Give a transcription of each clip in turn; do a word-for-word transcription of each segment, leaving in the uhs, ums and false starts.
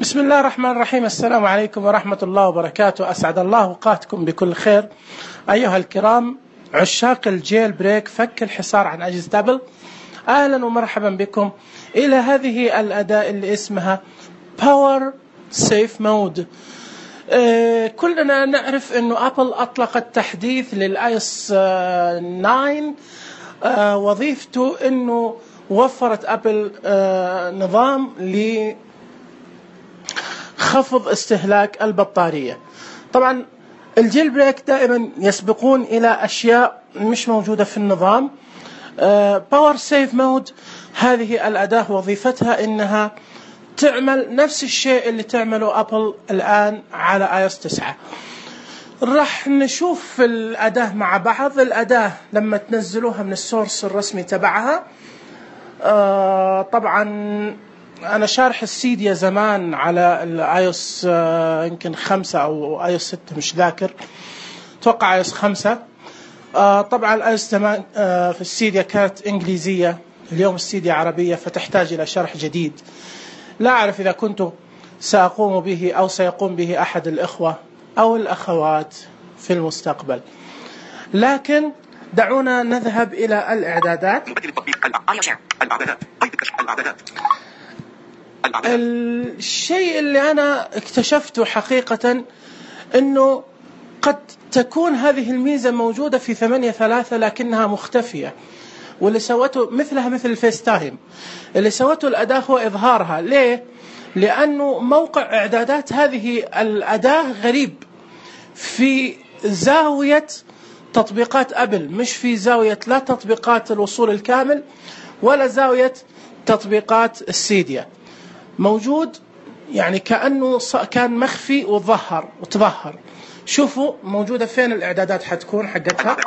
بسم الله الرحمن الرحيم. السلام عليكم ورحمة الله وبركاته. أسعد الله أوقاتكم بكل خير أيها الكرام عشاق الجيل بريك، فك الحصار عن أجهزة أبل. أهلا ومرحبا بكم إلى هذه الأداة اللي اسمها باور سيف مود. آه كلنا نعرف أنه أبل أطلقت تحديث للآيس آه تسعة. آه وظيفته أنه وفرت أبل آه نظام لخفض استهلاك البطارية. طبعا الجيل بريك دائما يسبقون إلى أشياء مش موجودة في النظام. باور سيف مود هذه الأداة وظيفتها إنها تعمل نفس الشيء اللي تعمله أبل الآن على آيس تسعة. راح نشوف الأداة مع بعض. الأداة لما تنزلوها من السورس الرسمي تبعها، آه طبعا أنا شارح السيديا زمان على الآيوس آه يمكن خمسة أو آيوس ستة، مش ذاكر، توقع آيوس خمسة. آه طبعا الآيوس تمام آه في السيديا كانت إنجليزية، اليوم السيديا عربية، فتحتاج إلى شرح جديد. لا أعرف إذا كنت سأقوم به أو سيقوم به أحد الإخوة أو الأخوات في المستقبل، لكن دعونا نذهب إلى الإعدادات. الشيء اللي أنا اكتشفته حقيقة أنه قد تكون هذه الميزة موجودة في ثمانية ثلاثة لكنها مختفية، واللي سوته مثلها مثل الفيس تايم. اللي سوته الأداة هو إظهارها. ليه؟ لأنه موقع إعدادات هذه الأداة غريب، في زاوية تطبيقات أبل، مش في زاوية لا تطبيقات الوصول الكامل ولا زاوية تطبيقات السيديا. موجود يعني كأنه كان مخفي وظهر وتظهر. شوفوا موجودة فين الإعدادات حتكون حقتها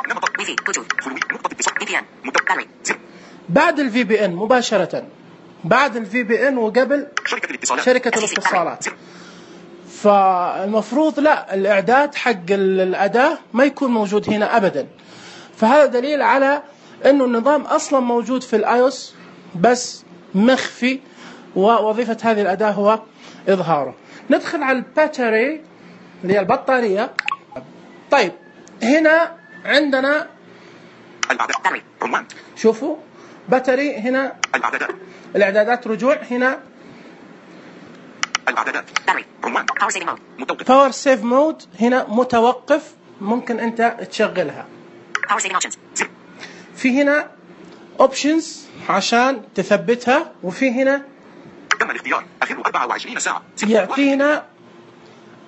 بعد الفي بي ان مباشرة، بعد الفي بي ان وقبل شركة الاتصالات. فالمفروض لا، الإعداد حق الأداة ما يكون موجود هنا أبدا. فهذا دليل على أنه النظام أصلا موجود في الآيوس بس مخفي، ووظيفة هذه الأداة هو إظهاره. ندخل على الباتري اللي هي البطارية. طيب هنا عندنا شوفوا باتري، هنا الإعدادات رجوع، هنا باور سيف مود، هنا متوقف، ممكن أنت تشغلها. في هنا اوبشنز عشان تثبتها، وفي هنا يعطينا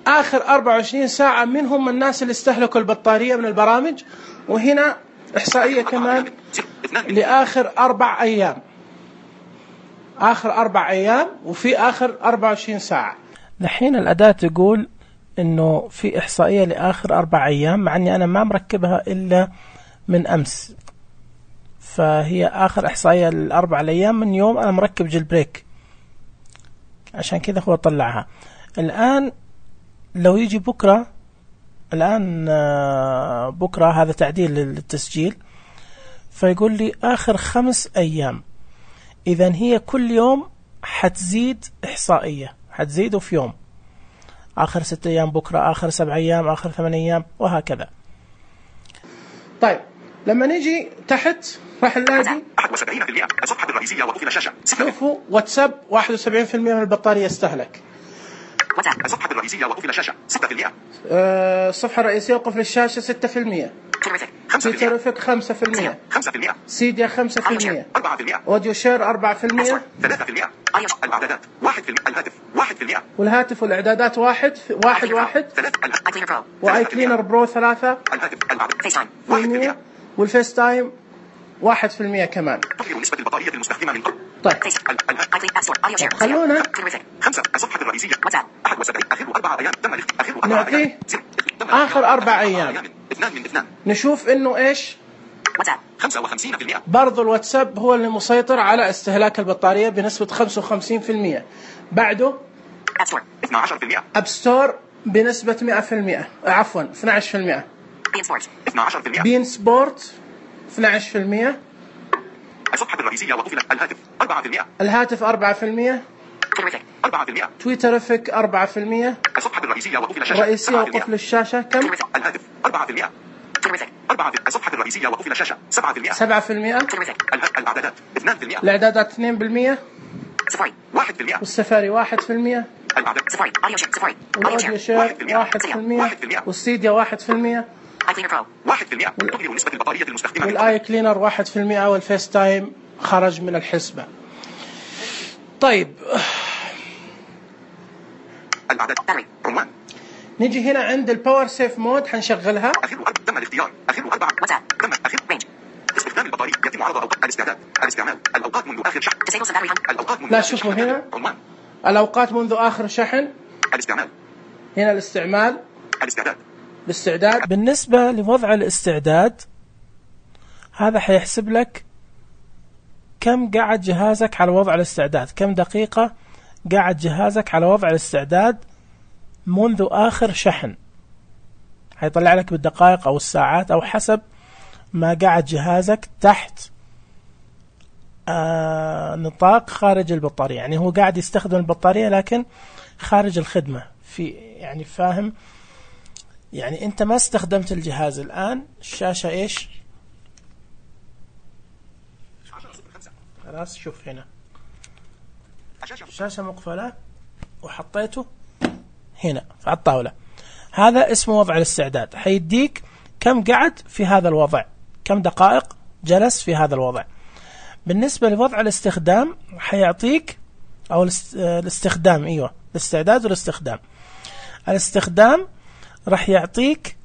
آخر أربعة وعشرين ساعة منهم الناس اللي استهلكوا البطارية من البرامج، وهنا إحصائية كمان لآخر أربع أيام، آخر أربع أيام وفي آخر أربعة وعشرين ساعة. الحين الأداة تقول إنه في إحصائية لآخر أربع أيام، مع إني أنا ما مركبها إلا من أمس، فهي آخر إحصائية للأربع أيام من يوم أنا مركب جيل بريك، عشان كذا هو طلعها. الآن لو يجي بكرة، الآن بكرة هذا تعديل للتسجيل، فيقول لي آخر خمس أيام. إذن هي كل يوم حتزيد إحصائية، حتزيده في يوم، آخر ست أيام بكرة، آخر سبع أيام، آخر ثمان أيام، وهكذا. طيب لما نيجي تحت راح نلاقي واحد وسبعين بالمئة الصفحة الرئيسية وقفل الشاشة. شوفوا واتساب واحد وسبعين بالمئة من البطارية استهلك. الصفحة الرئيسية وقفل الشاشة ستة بالمئة. أه الصفحة الرئيسية وقفل الشاشة ستة بالمئة. تويترفك خمسة بالمئة. خمسة بالمئة. سيديا خمسة بالمئة. أربعة بالمئة. أوديو شير أربعة بالمئة. ثلاثة بالمئة. الإعدادات واحد بالمئة. الهاتف واحد بالمئة. والهاتف والإعدادات واحد واحد واحد. وآي كلينر برو ثلاثة. الهاتف بالمئة. والفيس تايم واحد في المئة كمان. تظهر نسبة البطارية المستخدمة من قبل. طيب خلونا خمسة الصفحة الرئيسية أحد وسبعين آخر أربعة أيام تم آخر نعطيه آخر أربع أيام. اثنان من اثنان. نشوف إنه إيش خمسة وخمسين بالمئة. برضو الواتساب هو اللي مسيطر على استهلاك البطارية بنسبة خمسة وخمسين بالمئة. بعده اثنا عشر بالمئة. أب ستور بنسبة مئة بالمئة، عفوا اثنا عشر بالمئة. بين سبورت اثنا عشر بالمئة. بين سبورت اثنا عشر بالمئة. الصفحة الرئيسية وقفل الهاتف أربعة بالمئة. الهاتف أربعة بالمئة. تويترفيك أربعة بالمئة. الصفحة الرئيسية وقفل الشاشة. الرئيسية وقفل الشاشة كم؟ الهاتف أربعة بالمئة. أربعة الصفحة الرئيسية وقفل الشاشة سبعة بالمئة. سبعة بالمئة. الإعدادات اثنان بالمئة. الإعدادات اثنين بالمئة. سفاري واحد بالمئة. والسفاري واحد بالمئة. الإعداد سفاري أوديو شير سفاري والأوديو شير واحد بالمئة. والسيديا واحد بالمئة. آي كلينر برو واحد بالمئة. تغير نسبة البطارية المستخدمة. والآي كلينر واحد بالمئة. والفيس تايم خرج من الحسبة. طيب الإعداد عنوان. نجي هنا عند الباور سيف مود حنشغلها. أخير تم الاختيار. أخير أربعة واتساب. تم أخير رينج. استخدام البطارية يتم عرض أوقات الاستعداد. الاستعمال الأوقات منذ آخر شحن. الأوقات منذ لا شوفوا هنا عنوان. الأوقات منذ آخر شحن. الاستعمال. هنا الاستعمال. الاستعداد. الاستعداد. بالنسبة لوضع الاستعداد هذا حيحسب لك كم قعد جهازك على وضع الاستعداد، كم دقيقة قعد جهازك على وضع الاستعداد منذ آخر شحن. حيطلع لك بالدقائق أو الساعات أو حسب ما قعد جهازك تحت آه نطاق خارج البطارية. يعني هو قاعد يستخدم البطارية لكن خارج الخدمة في يعني فاهم، يعني أنت ما استخدمت الجهاز الآن. الشاشة إيش؟ خلاص شوف هنا الشاشة مقفلة وحطيته هنا على الطاولة. هذا اسمه وضع الاستعداد. حيديك كم قعد في هذا الوضع، كم دقائق جلس في هذا الوضع. بالنسبة لوضع الاستخدام حيعطيك أو الاستخدام أيوة الاستعداد والاستخدام. الاستخدام راح يعطيك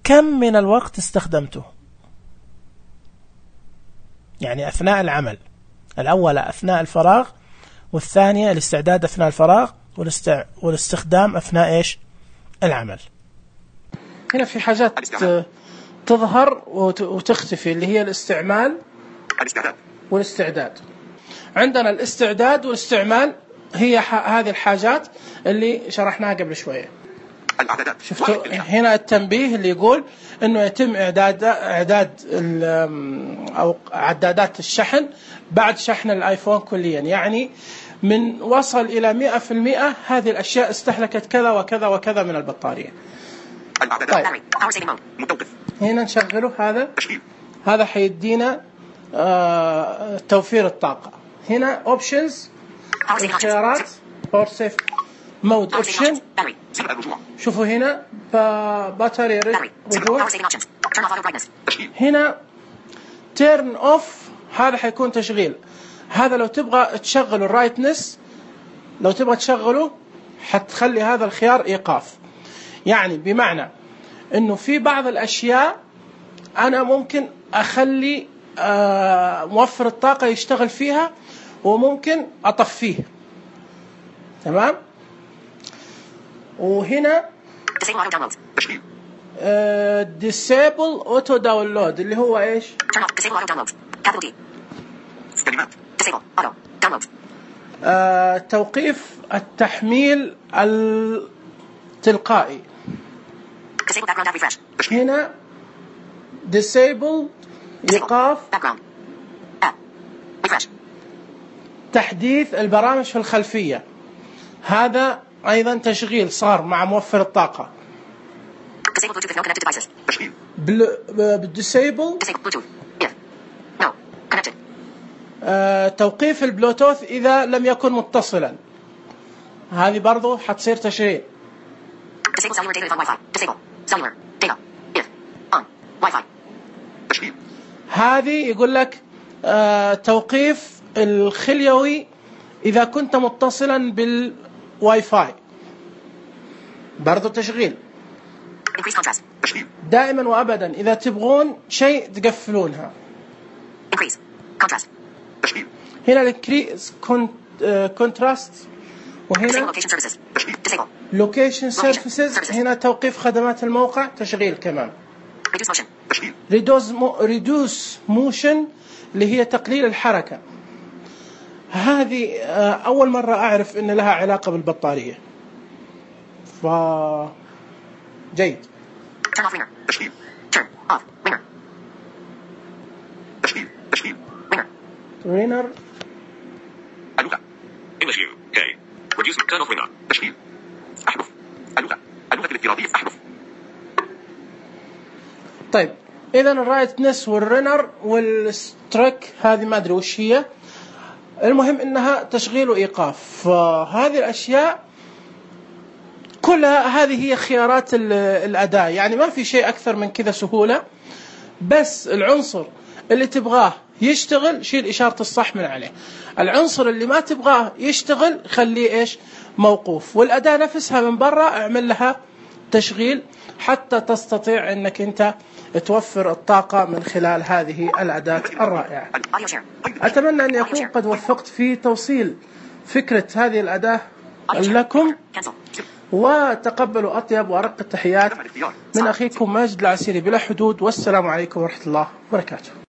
كم من الوقت استخدمته، يعني أثناء العمل. الأول أثناء الفراغ، والثانية الاستعداد أثناء الفراغ، والاستخدام أثناء إيش العمل. هنا في حاجات تظهر وتختفي اللي هي الاستعمال والاستعداد. عندنا الاستعداد والاستعمال هي هذه الحاجات اللي شرحناها قبل شوية. شفتوا هنا التنبيه اللي يقول انه يتم اعداد اعداد او عدادات الشحن بعد شحن الايفون كليا، يعني من وصل الى مئة بالمئة هذه الاشياء استهلكت كذا وكذا وكذا من البطارية. طيب. هنا نشغله هذا. هذا حيدينا آه توفير الطاقة. هنا اوبشنز الخيارات باور سيف مود اوبشن. شوفوا هنا باتري رجوع. هنا تيرن اوف هذا حيكون تشغيل. هذا لو تبغى تشغل الرايتنس، لو تبغى تشغله حتخلي هذا الخيار ايقاف. يعني بمعنى انه في بعض الاشياء انا ممكن اخلي آه موفر الطاقة يشتغل فيها وممكن اطفيه. تمام. وهنا disable auto download اللي هو ايش؟ آه توقيف التحميل التلقائي. هنا disable ايقاف تحديث البرامج في الخلفية. هذا أيضا تشغيل صار مع موفر الطاقة. بالديسيبل آه توقيف البلوتوث إذا لم يكن متصلا. هذه برضو حتصير تشغيل. هذه يقول لك آه توقيف الخليوي إذا كنت متصلا بالواي فاي. برضو تشغيل. دائما وأبدا إذا تبغون شيء تقفلونها. هنا الانكريز كونتراست. وهنا لوكيشن سيرفيسز. هنا توقيف خدمات الموقع تشغيل كمان. ريدوس موشن اللي هي تقليل الحركة. هذه أول مرة أعرف إن لها علاقة بالبطارية. ف جيد. تشغيل. Turn off. Ringer. تشغيل. تشغيل. Ringer. Ringer. اللغة English U K. Reduce turn off ringer. تشغيل. أحذف. اللغة. اللغة الافتراضية أحذف. طيب إذا الرايتنس والرنر والستريك هذه ما أدري وش هي. المهم إنها تشغيل وإيقاف. فهذه الأشياء كلها هذه هي خيارات الأداء، يعني ما في شيء أكثر من كذا سهولة. بس العنصر اللي تبغاه يشتغل شيل إشارة الصح من عليه، العنصر اللي ما تبغاه يشتغل خليه إيش موقوف، والأداة نفسها من برا اعمل لها تشغيل حتى تستطيع أنك أنت توفر الطاقة من خلال هذه الأداة الرائعة. أتمنى أن يكون قد وفقت في توصيل فكرة هذه الأداة لكم، وتقبلوا أطيب وأرق التحيات من أخيكم ماجد العسيري بلا حدود، والسلام عليكم ورحمة الله وبركاته.